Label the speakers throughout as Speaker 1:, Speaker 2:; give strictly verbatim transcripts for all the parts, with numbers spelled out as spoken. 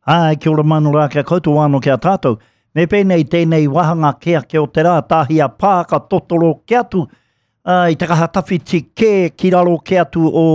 Speaker 1: Āe, kia ora mano rā kia koutou anō ki a tātou. Me pēnei tēnei wāhanga kē ake o te rā, tāhi a pā ka totoro ke atu uh, i te kaha tawhiti kē ki raro ke atu o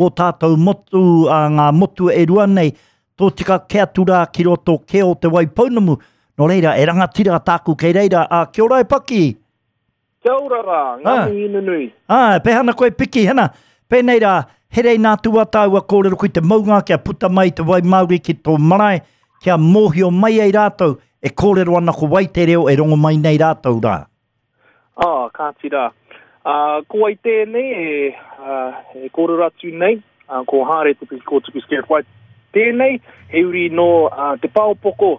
Speaker 1: o tātou motu, uh, ngā motu e rua nei, tō tika ke atu rā ki roto ke o Te Waipounamu. Nō reira, e rangatira tāku kei reira, a kia ora e Paki.
Speaker 2: Kia ora rā, ngā ah. mihi nunui.
Speaker 1: Ah, pehana koe piki, hena, pēnei rā, herei nā tua tāua kōrero kui te maunga kia puta mai te wai Māori ki tō marae, kia mōhio mai ai rātou, e kōrero ana ko wai te reo e rongo mai nei rātou rā.
Speaker 2: Ah, kāti rā. Uh, ko wai tēnei e, uh, e kōrero atu nei, uh, ko Hāre Te Piki Kōtuku Skerritt White tēnei, he uri nō uh, Te Paopoko,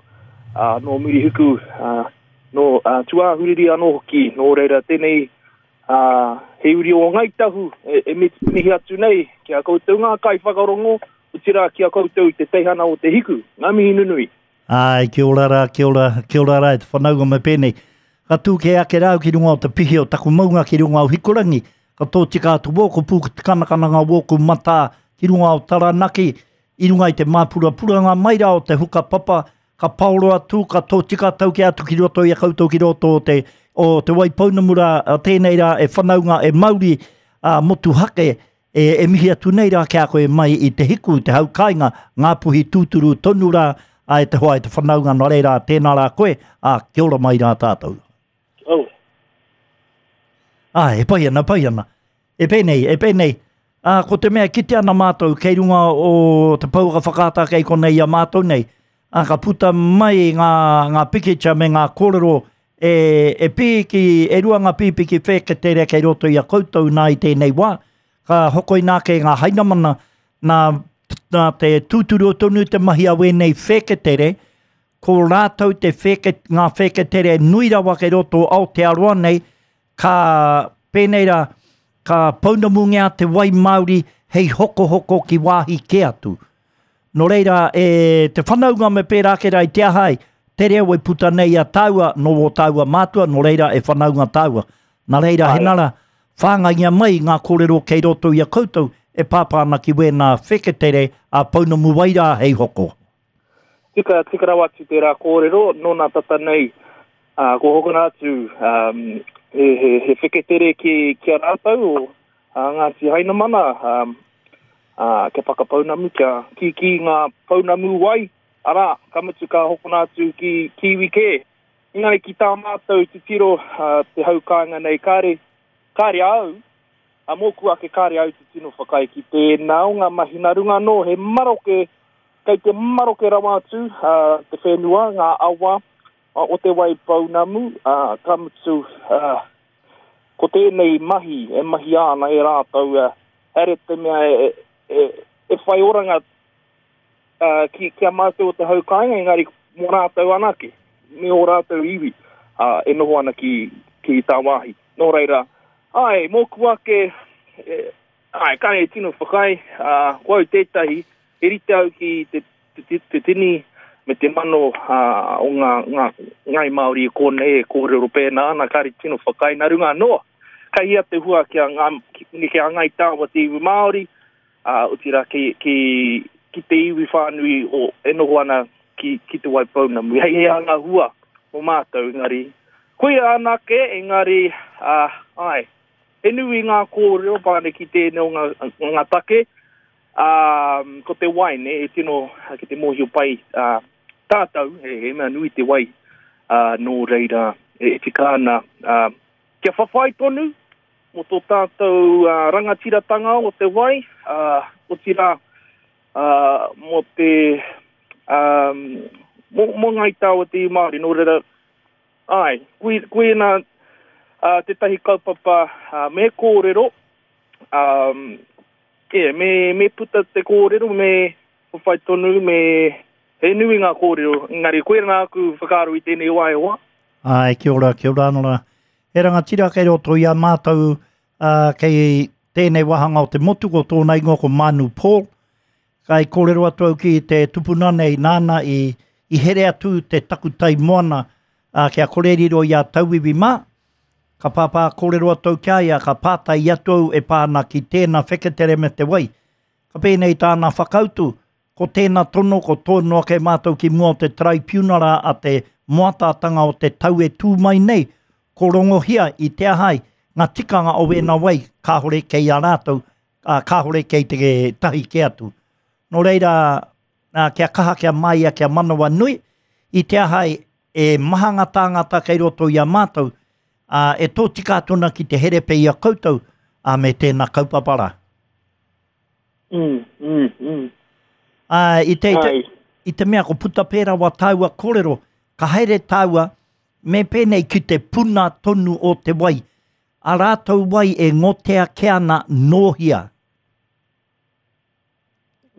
Speaker 2: uh, nō Murihiku, uh, nō uh, Tūāhuriri anō hoki, nō reira tēnei uh, he uri o Ngāi Tahu e, e mihi atu nei ki a koutou ngā kaiwhakarongo, otirā ki a koutou te teihana o Te Hiku, ngā mihi nunui.
Speaker 1: Ai, kia ora rā, kia ora, kia ora rā e te whanaunga me pēnei. Ka tū ke ake rāu ki runga o te pihi o taku maunga ki runga o Hikurangi, ka tō tika atu wōku pū te kanakana ngā wōku matā ki runga o Taranaki, i runga i te māpurapuranga mai rā o te huka papa, ka paoro atu, ka tō tika tau ke atu ki roto i a koutou ki roto o te, o Te Waipounamu rā, tēnei rā e whanaunga e mauri a motuhake, e, e mihi atu nei rā ki a koe mai i te hiku, te hau kāinga, ngā puhi tūturu tonu rā, a e te hoa e te whanaunga nō reira, tēnā rā koe, a kia ora mai rā tātou.
Speaker 2: Oh.
Speaker 1: Ah, e pai ana, pai ana. E pēnei, e pēnei. Ah, ko te mea kite ana mātou kei runga o te pouaka whakaata kei konei i a mātou nei. Ah, ka puta mai ngā, ngā pikitia me ngā kōrero e, e pīki, e rua ngā pīpiki whēketere kei roto i a koutou nā i tēnei wā. Ka hokoina ake ngā hainamana nā, nā te tūturu tonu te mahi a wēnei whēketere, ko rātou te whēke, ngā whēketere nui rawa kei roto Aotearoa nei, ka pēnei rā, ka pounamungia te wai Māori hei hokohoko ki wāhi kē atu. Nō reira, e, te whanaunga me pērā ake rā i te aha ai, te reo e puta nei a tāua, nō o tāua mātua, nō reira e whanaunga tāua. Nā reira,
Speaker 2: Ai.
Speaker 1: henara, whāngaia mai ngā kōrero kei roto i a koutou e pāpā ana ki wēnā wheketere a pounamu wai rā hei hoko.
Speaker 2: Tika, tika rawa atu tērā kōrero, nōna tata nei, uh, ko hokona atu um, he, he, he wheketere ki, ki a rātou o uh, Ngāti Hainamana, um, uh, kia whakapounamu, kia kīkī ngā pounamu wai, arā, ka mutu ka hokona atu ki kiwi kē. Engari ki tā mātou titiro uh, te hau kāinga nei, kāre, kāre au, a mōku ake kāre au te tino whakaae ki tēnā o ngā mahi nā runga anō, he maroke, kei te maroke rawa atu uh, te whenua, ngā awa uh, o Te Waipounamu, uh, ka mutu, uh, ko tēnei mahi e mahi ana e rātou, uh, here te mea e, e, e whai oranga uh, ki, ki a mātou o te hau kāinga, engari mō rātou anake, me o rātou iwi uh, e noho ana ki, ki tāwāhi. Nō reira, ai, mōku ake, e, ai, ka e tino whakaae, uh, ko au tētahi, e rite au ki te, te, te, te tini me te mano uh, o ngā, ngā, ngāi Māori e kōnei e kōrero pēnā ana, kāre tino whakaae nā runga anō. Kei hea te hua ki a ngā, ki, ki a Ngāi Tāua te iwi Māori, uh, otirā ki, ki, ki te iwi whānui o, e noho ana ki, ki Te Waipounamu. Hei hea ngā hua o mātou, engari. Koia anake, engari, uh, ai, he nui ngā kōrero pāne ki tēnei o ngā, ngā take, um, ko te wai, ne, e tino, ki te mōhio pai uh, tātou, he, he mea nui te wai, uh, nō reira, e, e tika ana. Uh, kia whawhai tonu, mō tō tātou uh, rangatiratanga o te wai, uh, otirā, uh, mō te, um, mō, mō Ngāi Tāua te iwi Māori, nō reira, ai, kui, koina uh, tētahi kaupapa uh, me kōrero, um, yeah, me, me puta te kōrero, me whawhai tonu, me he nui ngā kōrero, engari koina aku whakaaro i tēnei wā e hoa.
Speaker 1: Ai, kia ora, kia ora anō rā. He rangatira kei roto i a mātou uh, kei tēnei wāhanga o te motu, ko tōna ingoa ko Manu Paul. Kai kōrero atu au ki te tupuna nei nāna i, i here atu te takutai moana uh, kia kore riro i a tauiwi mā. Ka pāpā kōrero atu au ki a ia, ka pātai atu au e pā ana ki tēnā wheketere me te wai. Ka pēnei tāna whakautu, Ko tēnā tono, ko tono ake mātou ki mua o te tribunara a te moatātanga o te tau e tū mai nei, ko rongohia i te ahai, ngā tikanga o wēnā wai, kāhore kei a rātou, ā, kāhore kei te tahi ke atu. Nō reira, ā, kia kaha, kia māia, kia manawa nui, i te ahai e maha ngā tāngata kei roto i a mātou, ā, e tōtika atu ana ki te herepe i a koutou, ā, me tēnā kaupapa rā.
Speaker 2: Mm, mm, mm.
Speaker 1: Ā, i te, i te,
Speaker 2: Ai.
Speaker 1: i te mea ko puta pērā wa tāua kōrero, ka haere tāua me pēnei ki te puna tonu o te wai. A rātou wai e ngotea ke ana nōhia.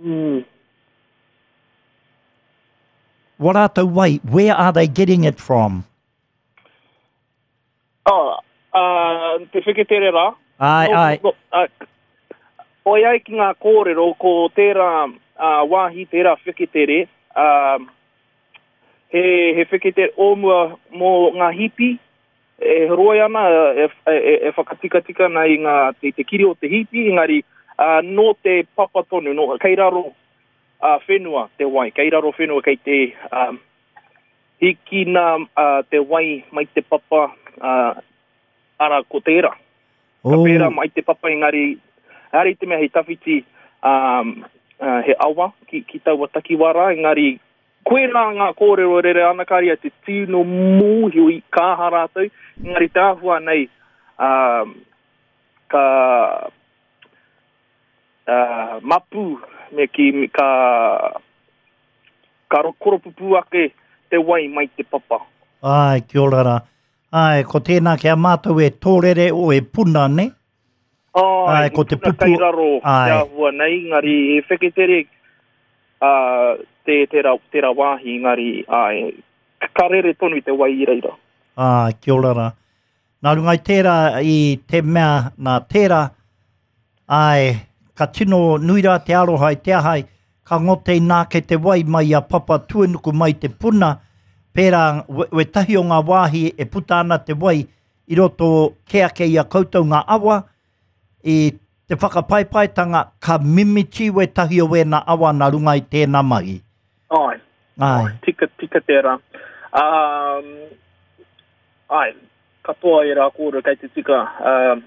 Speaker 2: Mm.
Speaker 1: Wa rātou wai, where are they getting it from?
Speaker 2: Oh, uh, te wheketere rā.
Speaker 1: Ai,
Speaker 2: No,
Speaker 1: ai.
Speaker 2: no, uh, oi ai ki ngā kōrero, ko tērā uh, wāhi, tērā wheketere, uh, he, he wheketere o mua mō ngā hipi, e roi ana, e, e, e, e whakatikatika ana i ngā, te, te kiri o te hipi, engari uh, nō te papa tonu, nō, kei raro uh, whenua te wai, kei raro whenua kei te um, hikina uh, te wai mai te papa, uh, ara ko tērā. Ka
Speaker 1: Oh.
Speaker 2: pērā mai te papa engari, haere i te mea he tawhiti um, uh, he awa ki, ki taua takiwā rā, engari koe rā ngā kōrero rere ana kāri a te tino mōhio i kāha rātou, engari te āhua nei um, ka uh, mapu me ki, ka, ka koropupū ake te wai mai te papa.
Speaker 1: Ai, kia ora rā. Ai, ko tēnā kia mātou e tōrere o e puna, ne?
Speaker 2: Ai,
Speaker 1: Ai, ko te
Speaker 2: puna
Speaker 1: pupu-
Speaker 2: kei raro
Speaker 1: Ai.
Speaker 2: te āhua nei, engari he wheketere uh, te, tērā, tērā wāhi, engari ai, ka rere tonu te wai i reira.
Speaker 1: Ai, kia ora rā. Nā runga i tērā i te mea nā tērā, ai, ka tino nui rā te aroha i te ahai, ka ngote inā ke te wai mai a Papa Tuenuku mai te puna, pērā we, wetahi o ngā wāhi e puta ana te wai i roto ke ake i a koutou ngā awa, i te whakapaipaitanga ka mimiti wetahi o wēnā awa nā runga i tēnā mahi.
Speaker 2: Ai,
Speaker 1: Ai.
Speaker 2: tika, tika tērā. Um, ai, katoa e rā kōrero kei te tika. Um,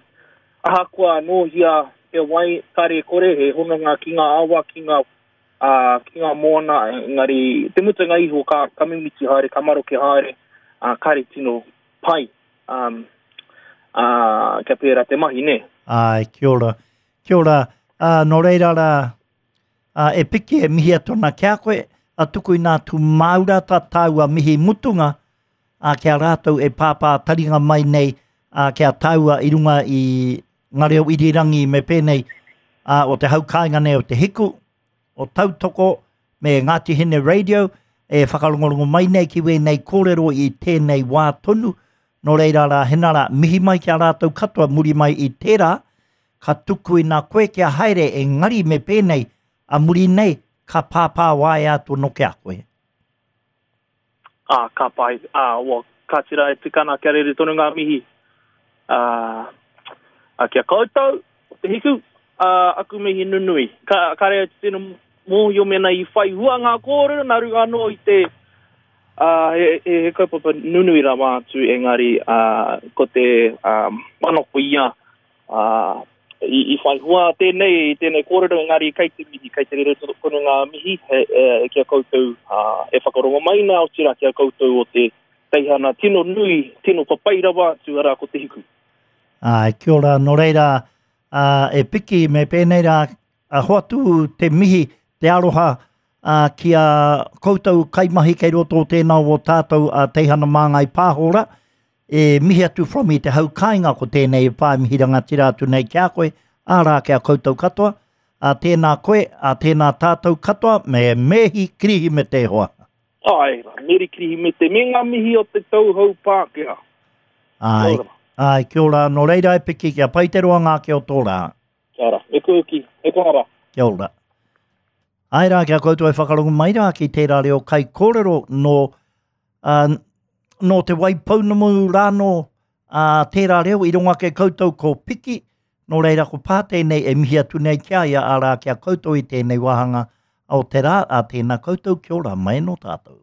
Speaker 2: ahakoa nōhia te wai kare kore, he hononga ki ngā awa, ki ngā, uh, ki ngā moana, engari te mutunga iho ka, ka mimiti haere, ka maroke haere, uh, kare tino pai. Um, uh, kia pērā te mahi, ne?
Speaker 1: Ai, kia ora. Kia ora. Uh, nō reira rā, uh, e piki e mihi atu ana kia koe, a tuku i nā tū māura tā tāua mihi mutunga, a kia rātou e pāpā taringa mai nei, a kia tāua i runga i ngā reo irirangi me pēnei, a, o te haukāinga nei o te hiku, o Tautoko me Ngāti Hine Radio, e whakarongorongo mai nei ki wēnei kōrero i tēnei wā tonu. Nō reira rā, hena rā, mihi mai ki a rātou katoa muri mai i tērā, ka tuku i nā koe kia haere e ngari me pēnei, a muri nei, ka pāpā waea atu no kia koe.
Speaker 2: Ah, ka pai. Ah, wa, ka tira e tikana kia rere tonu ngā mihi. Ah, ah, kia koutou, o te hiku, ah, aku mihi nunui. Ka, ka rea te tino mōhio mena i whai hua ngā kōrero, nā runga anō i te ah, he, he, he kaupapa nunui rawa atu, engari ah, ko te ah, manako ia ah, i, i whai hua tēnei, tēnei kōrero, engari kei te mihi, kei te rere tonu ngā mihi, he, e, kia koutou ah, e whakarongo mai nā, otirā kia koutou o te teihana tino nui, tino papai rawa atu arā ko te hiku.
Speaker 1: Ai, kia ora, nō reira, ah, e piki me pēnei rā, a hoatu te mihi, te aroha, ah, ki a koutou kaimahi kei roto o tēnā o tātou a Teihana Māngai Pāhora, e mihi atu from i te haukāinga ko tēnei e pā mihi rangatira atu nei ki a koe, ārā ki a koutou katoa, a tēnā koe, a tēnā tātou katoa, me mehi kirihi me te hoa.
Speaker 2: Ai, meri kirihi me te, me ngā mihi o te tauhou Pākehā.
Speaker 1: Ai,
Speaker 2: Kia ora.
Speaker 1: ai, kia ora, nō reira e piki kia pai te roa ngā ki o tō rā.
Speaker 2: Kia ora, me koe ki, e kona rā.
Speaker 1: Kia ora. Ai rā, kia koutou e whakarongo mai rā ki tērā reo kai kōrero nō, uh, nō te Waipounamu rānō uh, tērā reo i runga ake koutou ko piki, nō reira ko pā tēnei e mihi atu nei kia ia arā kia koutou i tēnei wāhanga o te rā, a tēnā koutou, kia ora mai no tātou.